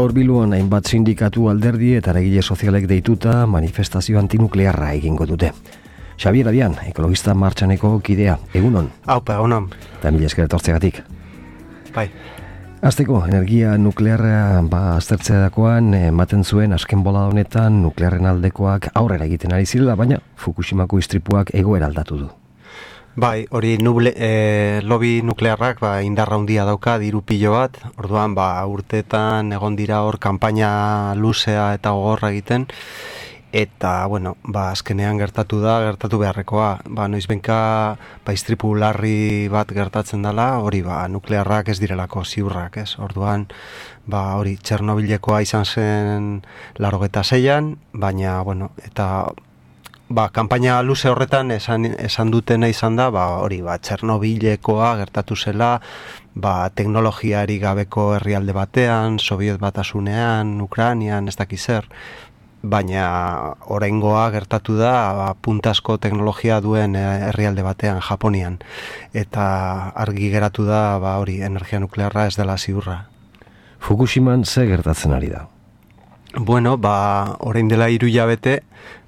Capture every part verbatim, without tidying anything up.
Gaur Bilbon hainbat sindikatu, alderdi eta eragile sozialek deituta manifestazio antinuklearra egingo dute. Xabier Adian, ekologista martxaneko kidea, egunon. Haupa, egunon. Eta mila esker etortzeagatik. Bai. Azteko, energia nuklearra ba, aztertzeakoan ematen zuen azken bola honetan nuklearren aldekoak aurrera egiten ari zirela, baina Fukushimako istripuak egoera aldatu du. Bai, hori nuble, e, lobby nuklearrak ba, indarra handia dauka, diru pilo bat, orduan ba, urteetan egon dira hor kanpaina luzea eta gogorra egiten, eta, bueno, ba, azkenean gertatu da, gertatu beharrekoa, ba, noizbenka ba, istripu larri bat gertatzen dela, hori ba, nuklearrak ez direlako ziurrak, ez, orduan, ba, hori, Txernobilekoa izan zen laurogeita seian, baina, bueno, eta ba, kanpaina luze horretan esan, esan dutena izan da, ba, hori, ba, Txernobilekoa gertatu zela, ba, teknologiari gabeko herrialde batean, Sobiet Batasunean, Ukrainian, ez dakiz zer, baina oraingoa gertatu da, ba, puntasko teknologia duen herrialde batean, Japonian, eta argi geratu da, ba, hori, energia nuklearra ez dela ziurra. Fukushiman ze gertatzen ari da? Bueno, ba, orain dela hiru hilabete,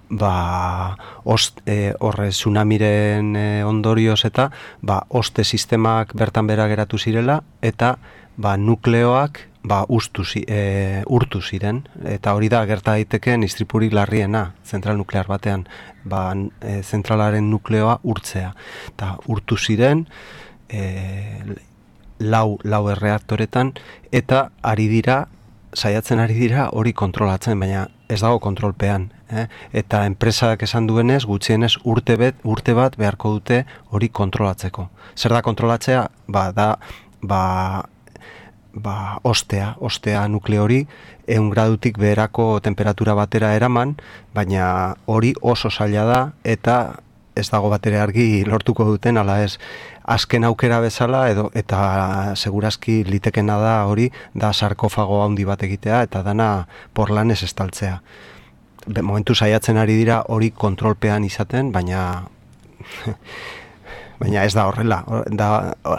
ba, ost, e, horre tsunamiren e, ondorioz eta ba, oste sistemak bertan bera geratu zirela eta ba, nukleoak ba, ustu, e, urtu ziren eta hori da gerta daiteken istripurik larriena zentral nuklear batean, ba, e, zentralaren nukleoa urtzea eta urtu ziren e, lau, lau erreaktoretan eta ari dira saiatzen ari dira hori kontrolatzen, baina ez dago kontrolpean. Eh? Eta enpresak esan duenez, gutxienez urte, bet, urte bat beharko dute hori kontrolatzeko. Zer da kontrolatzea? Ba, da, ba, ba, ostea, ostea nukleo hori, ehun gradutik beherako temperatura batera eraman, baina hori oso zaila da, eta ez dago batere argi lortuko duten, ala ez, azken aukera bezala, edo eta segurazki litekena da hori, da sarkofago handi bat egitea, eta dana porlanez estaltzea. Be, momentu saiatzen ari dira hori kontrolpean izaten, baina baina ez da horrela, da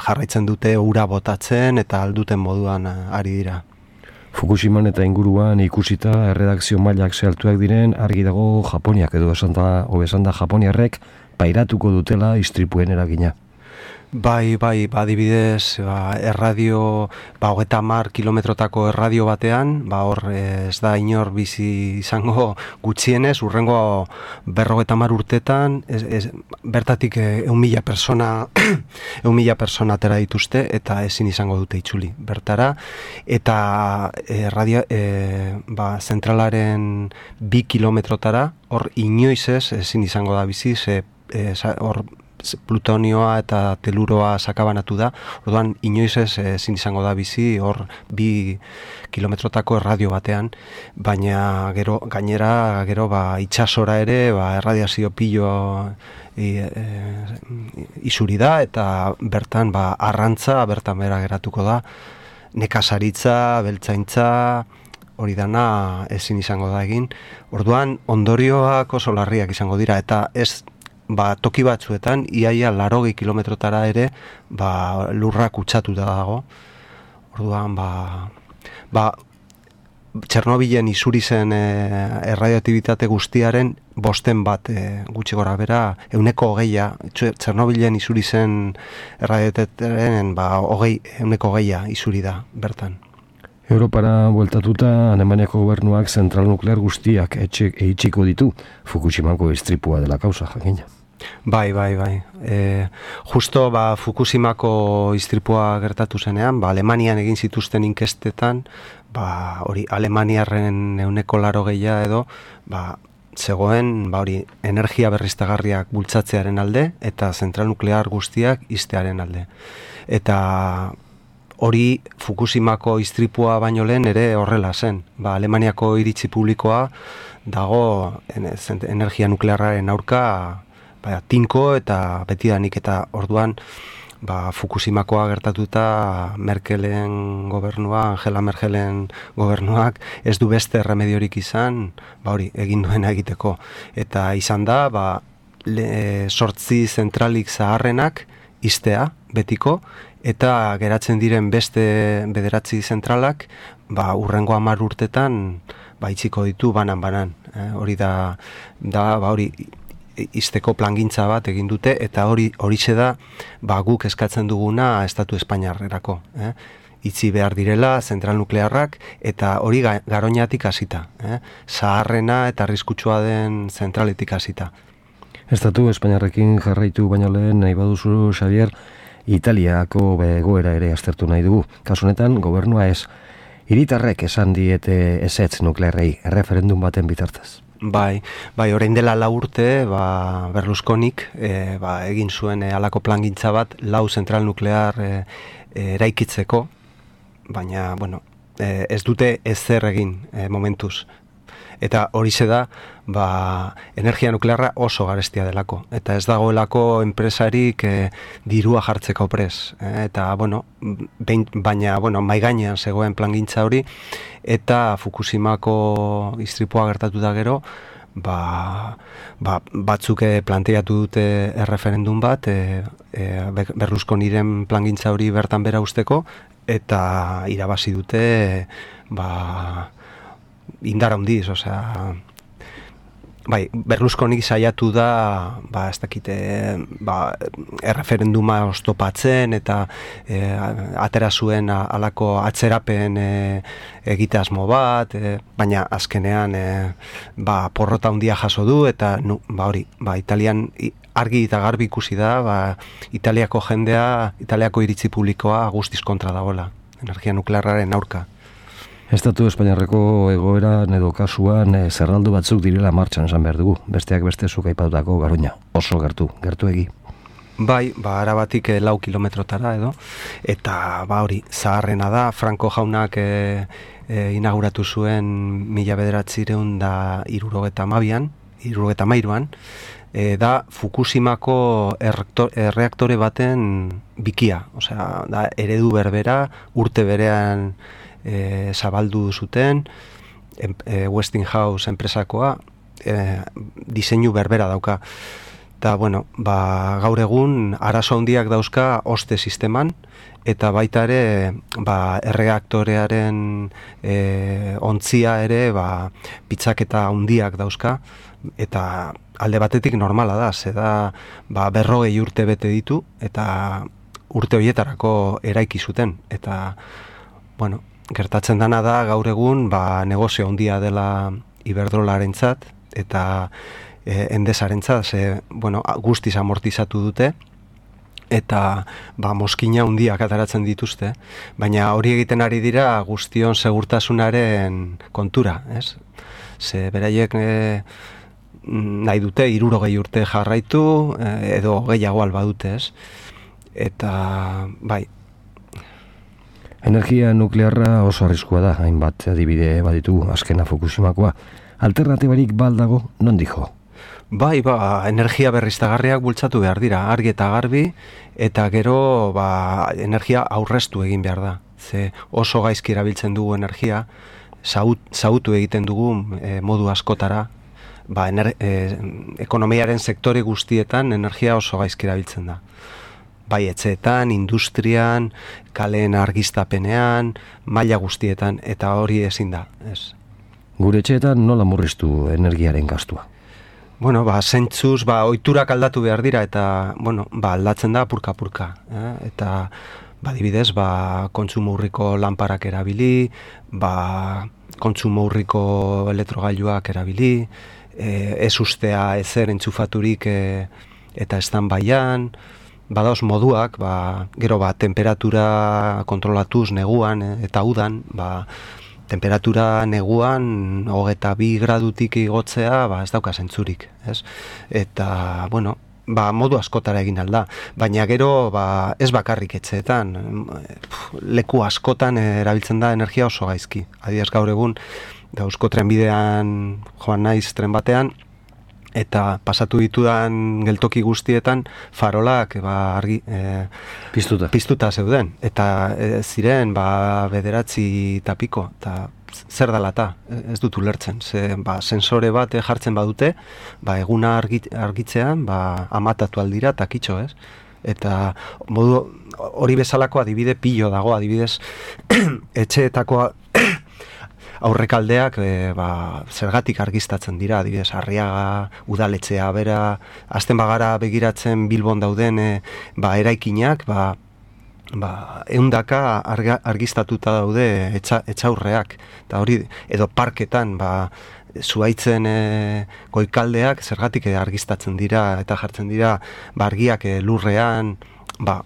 jarraitzen dute ura botatzen eta alduten moduan ari dira. Fukushiman eta inguruan ikusita erredakzio mailak zehaltuak diren, argi dago Japoniak edo esan da, esan da Japoniarrek pairatuko dutela istripuen eragina. Bai, bai, ba, adibidez, ba, erradio, ba, hogeita hamar kilometrotako erradio batean, ba, hor ez da inor bizi izango gutxienez, urrengo berrogeita hamar urtetan, ez, ez, bertatik ehun mila persona, ehun mila persona atera dituzte, eta ezin izango dute itzuli bertara, eta erradio, e, ba, zentralaren bi kilometrotara, hor inoiz ez, ezin izango da bizi, ze, e, hor, plutonioa eta teluroa sakabanatu da, orduan inoiz ez ezin izango da bizi hor bi kilometrotako erradio batean, baina gero gainera gero ba itsasora ere ba erradiazio pilo e, e, isuri da eta bertan ba arrantza bertan bera geratuko da, nekazaritza, beltzaintza, hori dana ezin izango da egin. Orduan ondorioak oso larriak izango dira eta ez ba, toki batzuetan, iaia larogi kilometrotara ere, ba, lurra kutsatuta dago. Orduan, ba, ba, Txernobilen isuri zen e, erradioaktibitate guztiaren bosten bat e, gutxi gora bera, euneko hogeia, Txernobilen isuri zen erradioaktibitateren, ba, hogei, euneko hogeia isuri da, bertan. Europara bueltatuta, Alemaniako gobernuak zentral nuklear guztiak eitxiko ditu, Fukushimako istripua dela kausa, jakina. Bai, bai, bai. E, justo ba, Fukushimako istripua gertatu zenean, ba, Alemanian egin zituzten inkestetan, ba, hori Alemaniarren euneko laro gehia edo, ba, zegoen ba, hori energia berriztagarriak bultzatzearen alde eta zentral nuklear guztiak iztearen alde. Eta hori Fukushimako istripua baino lehen ere horrela zen. Ba, Alemaniako iritzi publikoa dago energia nuklearraren aurka ba, tinko eta betidanik eta orduan ba, Fukushimakoa gertatuta Merkelen gobernua, Angela Merkelen gobernuak ez du beste remediorik izan, ba hori, egin duena egiteko. Eta izan da, ba, le, sortzi zentralik zaharrenak iztea betiko, eta geratzen diren beste bederatzi zentralak ba, urrengo hamar urtetan ba, itxiko ditu banan-banan. Eh? Hori da, da ba, hori izteko plangintza bat egin dute, eta hori horixe da ba, guk eskatzen duguna Estatu Espainiarrerako. Eh? Itzi behar direla zentral nuklearrak, eta hori ga, Garoñatik hasita. Eh? Zaharrena eta arriskutsua den zentraletik hasita. Estatu Espainiarrekin jarraitu baino lehen nahi baduzu, Xavier, Italiako begoera ere aztertu nahi dugu. Kasu honetan, gobernua ez. Hiritarrek esan diete ezetz nuklearrei erreferendum baten bitartez. Bai, bai, orain dela lau urte, ba, Berlusconik e, ba, egin zuen e, alako plangintza bat lau zentral nuklear e, e, eraikitzeko, baina, bueno, e, ez dute ezer egin e, momentuz. Eta horixe da, ba, energia nuklearra oso garestia delako. Eta ez dagoelako enpresarik e, dirua jartzeko pres. E, eta, bueno, behin, baina, bueno, maigainean zegoen plangintza hori, eta Fukushimako istripua gertatu da gero, ba, ba, batzuk planteatu dute erreferendum bat, e, e, Berlusconiren plangintza hori bertan bera usteko, eta irabazi dute, ba, indar handiz, osea, bai, Berlusconik saiatu da, ba, ez dakite, ba, erreferenduma oztopatzen eta e, atera zuen alako atzerapen e, egite asmo bat, e, baina azkenean e, ba, porrota handia jaso du, eta nu, ba, hori, ba, Italian argi eta garbi ikusi da, ba, Italiako jendea, Italiako iritzi publikoa guztiz kontra dagoela, energia nuklearraren aurka. Estatu Espainiarreko egoeran edo kasuan e, zerraldo batzuk direla martxan esan behar dugu. Besteak beste zuk aipatutako Garoña. Oso gertu, gertu egi. Bai, ba, arabatik e, lau kilometrotara edo. Eta, ba, hori, zaharrena da. Franco jaunak e, e, inauguratu zuen mila bederatzireun da irurogeta amabian, irurogeta amairuan. E, da Fukushimako erreaktor, erreaktore baten bikia. Osea, da eredu berbera, urte berean E, zabaldu zuten, e, Westinghouse enpresakoa, e, diseinu berbera dauka. Eta, bueno, ba, gaur egun arazo handiak dauzka oste sisteman, eta baita ere, ba, erreaktorearen e, ontzia ere, ba, pitzaketa handiak dauzka, eta alde batetik normala da, ze da, ba, berrogei urte bete ditu, eta urte horietarako eraiki zuten, eta, bueno, gertatzen dana da gaur egun ba, negozio handia dela Iberdrolarentzat eta e, Endesarentzat, ze bueno, guztiz amortizatu dute eta ba, moskina handiak ataratzen dituzte, baina hori egiten ari dira guztion segurtasunaren kontura, ez? Ze beraiek e, nahi dute hirurogei urte jarraitu e, edo gehiago alba dute, ez? Eta bai, energia nuklearra oso arriskua da, hainbat adibide baditu azkena Fukushimakoa. Alternatibarik baldago, non dijo? Bai, ba, energia berriztagarriak bultzatu behar dira, argi eta garbi, eta gero ba, energia aurreztu egin behar da. Ze oso gaizki erabiltzen dugu energia, zautu egiten dugu e, modu askotara, ba, ener, e, ekonomiaren sektore guztietan energia oso gaizki erabiltzen da. Bai etxeetan, industrian, kaleen argiztapenean, maila guztietan, eta hori ezin da, ez. Gure etxeetan nola murriztu energiaren gastua? Bueno, ba, zentzuz, ba, ohiturak aldatu behar dira, eta, bueno, ba, aldatzen da purka-purka, eh? Eta, ba, dibidez, ba, kontsumo urriko lanparak erabili, ba, kontsumo urriko elektrogailuak erabili, eh, ez ustea ezer entzufaturik eh, eta stand-byan, badaoz moduak, ba, gero ba, temperatura kontrolatuz neguan e, eta udan, ba, temperatura neguan hogeita bi gradutik igotzea, ba, ez dauka zentzurik, ez? Eta, bueno, ba, modu askotara egin alda, baina gero ba, ez bakarrik etxeetan, leku askotan erabiltzen da energia oso gaizki. Adibidez gaur egun, Eusko trenbidean joan naiz tren batean, eta pasatu ditudan geltoki guztietan farolak ba, argi, e, piztuta. piztuta zeuden. Eta e, ziren ba, bederatzi tapiko, eta zer dela eta, ez dut ulertzen. Ze, ba, sensore bat jartzen badute, ba, eguna argit, argitzean ba, amatatu aldira eta kitxo, ez? Eta modu hori bezalako adibide pilo dago, adibidez etxeetako aurrekaldeak e, ba, zergatik argiztatzen dira, adibidez, Arriaga, udaletxea, bera, azten bagara begiratzen Bilbon dauden e, ba, eraikinak, ba, ba, eundaka arga, argiztatuta daude etxa, etxaurreak, eta hori, edo parketan, ba, zuaitzen e, goikaldeak zergatik e, argiztatzen dira, eta jartzen dira, ba, argiak e, lurrean, ba,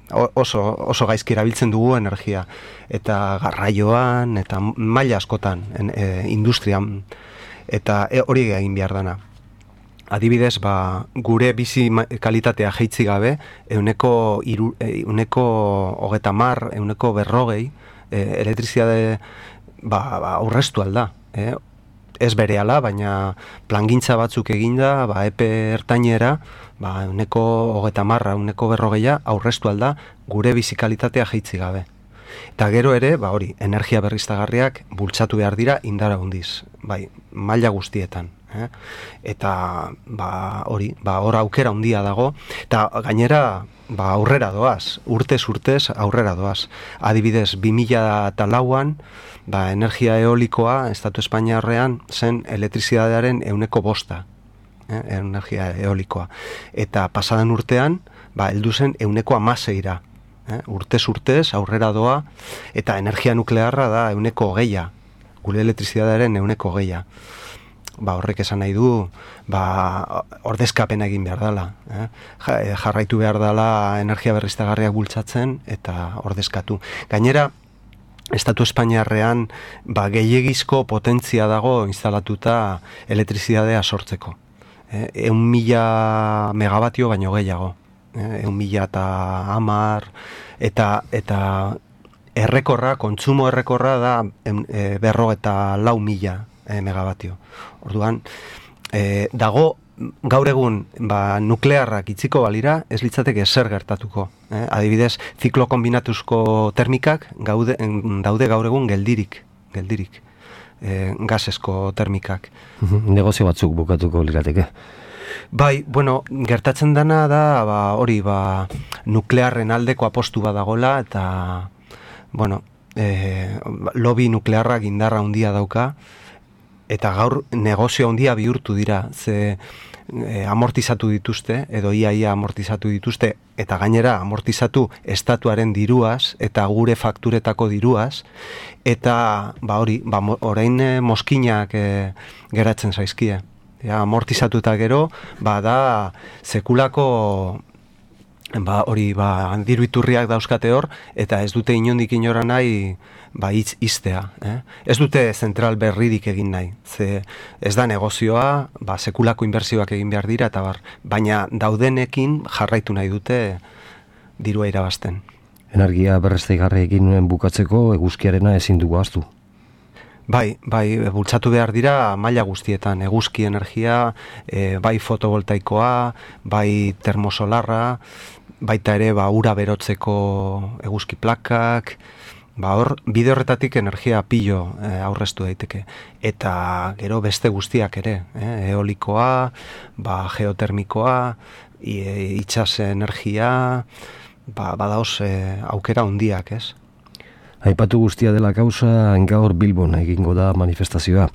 oso, oso gaizki erabiltzen dugu energia, eta garraioan, eta maila askotan, en, e, industrian, eta e, hori egin behar dana. Adibidez, ba, gure bizi kalitatea jeitzi gabe, euneko, iru, euneko hogeta mar, euneko berrogei, e, elektrizitate ba, ba, aurreztu alda. E, ez berehala, baina plangintza batzuk eginda, ba, epe ertainera, ba, euneko hogeta marra, euneko berrogeia, aurreztu alda, gure bizi kalitatea jeitzi gabe. Eta gero ere, ba, hori, energia berriztagarriak bultzatu behar dira indara hundiz, bai, maila guztietan. Eh? Eta ba, hori, ba, hor aukera handia dago, eta gainera ba, aurrera doaz, urtez urtez aurrera doaz. Adibidez, bi mila lauan, ba, energia eolikoa Estatu Espainiarrean zen elektrizidadearen euneko bosta, eh? Energia eolikoa. Eta pasadan urtean, ba, heldu zen euneko amaseira. Eh? Urtez urtez aurrera doa, eta energia nuklearra da euneko hogeia, gure elektrizidadearen euneko hogeia. Ba, horrek esan nahi du, ba, ordezkapena egin behar dela. Eh? Jarraitu behar dela energia berriztagarriak bultzatzen eta ordezkatu. Gainera, Estatu Espainiarrean ba, gehiegizko potentzia dago instalatuta elektrizidadea sortzeko. Eh? Eun mila megabatio baino gehiago. Eh? Eun mila eta hamar, eta, eta errekorra, kontsumo errekorra da e, berro eta lau mila e, megabatio. Orduan, e, dago gaur egun ba, nuklearrak itziko balira, ez litzateke zer gertatuko. Eh? Adibidez, ziklo kombinatuzko termikak gaude, daude gaur egun geldirik, geldirik, e, gasesko termikak. Negozio batzuk bukatuko lirateke. Bai, bueno, gertatzen dana da, ba, hori, ba, nuklearren aldeko apostu badagola, eta, bueno, e, lobby nuklearrak indarra handia dauka, eta gaur negozio handia bihurtu dira, ze e, amortizatu dituzte, edo ia ia amortizatu dituzte, eta gainera amortizatu estatuaren diruaz, eta gure fakturetako diruaz, eta ba hori, ba, orain e, moskinak e, geratzen zaizkie. Ja, amortizatuta gero, ba da sekulako ba hori, ba diru iturriak dauzkate hor, eta ez dute inondik inora nahi ba hitz iztea, eh? Ez dute zentral berririk egin nahi. Ze ez da negozioa, ba sekulako inbertsioak egin behar dira eta bar, baina daudenekin jarraitu nahi dute dirua irabazten. Energia berriztagarriekin bukatzeko eguzkiarena ezin dugu ahaztu. Bai, bai, bultzatu behar dira maila guztietan, eguzki energia, e, bai fotovoltaikoa, bai termosolarra, baita ere ba ura berotzeko eguzki plakak, ba hor bide horretatik energia pilo e, aurreztu daiteke, eta gero beste guztiak ere, eh, eolikoa, ba geotermikoa, e, itsas energia, ba badaoz e, aukera handiak, ez? Aipatu guztia dela kausa, gaur Bilbon egingo da manifestazioa,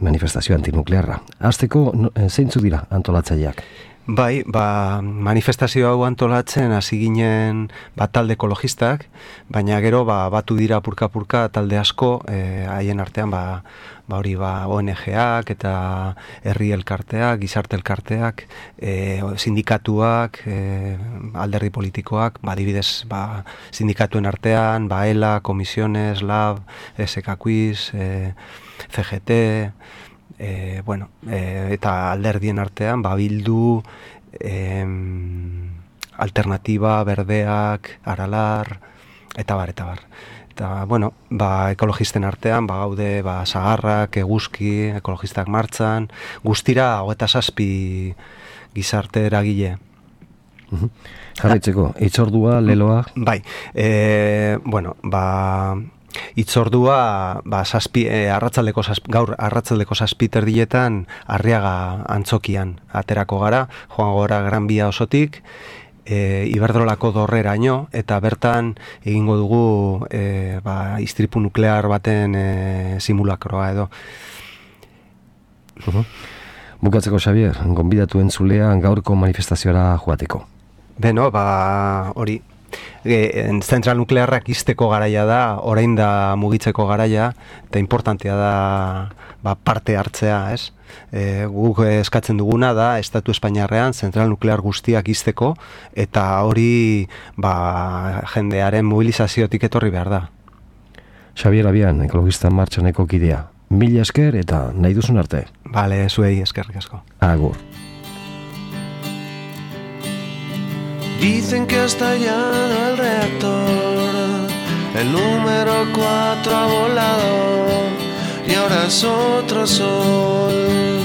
manifestazio antinuklearra. Hasteko zeintzuk dira antolatzaileak? Bai, ba, manifestazio hau antolatzen hasi ginen ba, talde ekologistak, baina gero ba, batu dira purka-purka talde asko, eh, haien artean ba, ba hori ba O N G-ak eta herri elkarteak, gizarte elkarteak, eh, sindikatuak, eh, alderdi politikoak, ba adibidez, ba sindikatuen artean, ba ELA, Comisiones, Lab, S K Quiz, eh, C G T, E, bueno, e, eta alderdien artean, ba, Bildu, e, Alternativa, Berdeak, Aralar, eta bar, eta bar. Eta, bueno, ba, ekologisten artean, ba, gaude, ba, Sagarrak, Eguzki, ekologistak martxan, guztira, hogeita zazpi gizarte eragile. Jarraitzeko, hitzordua, leloa? Bai, e, bueno, ba... Itzordua ba, zazpi, e, arratzaldeko zazpi, gaur arratzaldeko zazpi terdietan Arriaga antzokian aterako gara, joan gora Gran Bia osotik, e, Iberdrolako dorreraino, eta bertan egingo dugu e, ba, istripu nuklear baten e, simulakroa edo. Uh-huh. Bukatzeko, Xavier, gonbidatu entzulea gaurko manifestazioara joateko. Beno, ba, hori, e, zentral nuklearrak izteko garaia da, orain da mugitzeko garaia, eta importantea da ba, parte hartzea, ez? E, guk eskatzen duguna da, Estatu Espainiarrean zentral nuklear guztiak izteko, eta hori ba, jendearen mobilizaziotik etorri behar da. Xavier Abian, ekologista martxaneko kidea. Mila esker eta nahi duzun arte. Bale, zuei eskerrik asko. Agur. Dicen que ha estallado el reactor, el número cuatro ha volado y ahora es otro sol.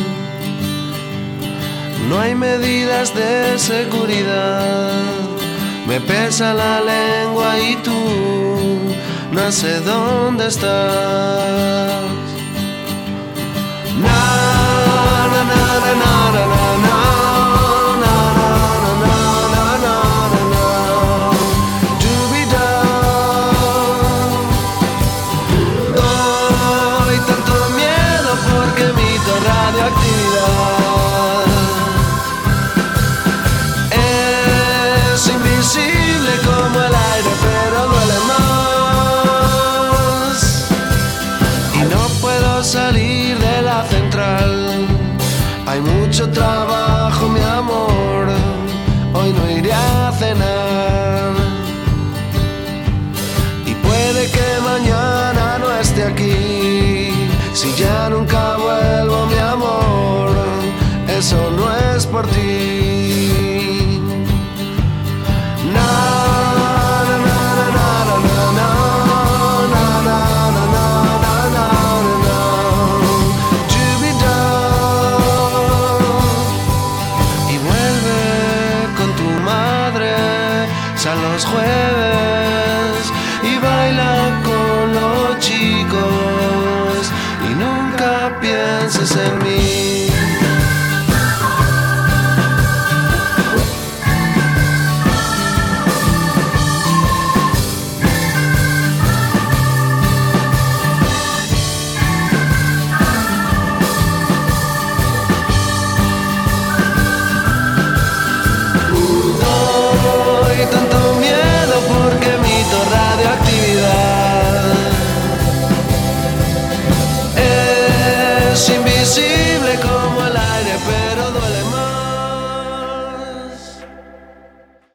No hay medidas de seguridad, me pesa la lengua y tú no sé dónde estás. Na, na, na, na, na, na, na. Es invisible como el aire, pero duele más. Y no puedo salir de la central. Hay mucho trabajo, mi amor. Hoy no iré a cenar. Y puede que mañana no esté aquí. Si ya nunca vuelvo, mi amor, eso no es por ti. Na, na, na, na, na, na, na, na, na, na, na, na, na. Y vuelve con tu madre, sal los jueves y baila con los chicos. Y nunca pienses en mí.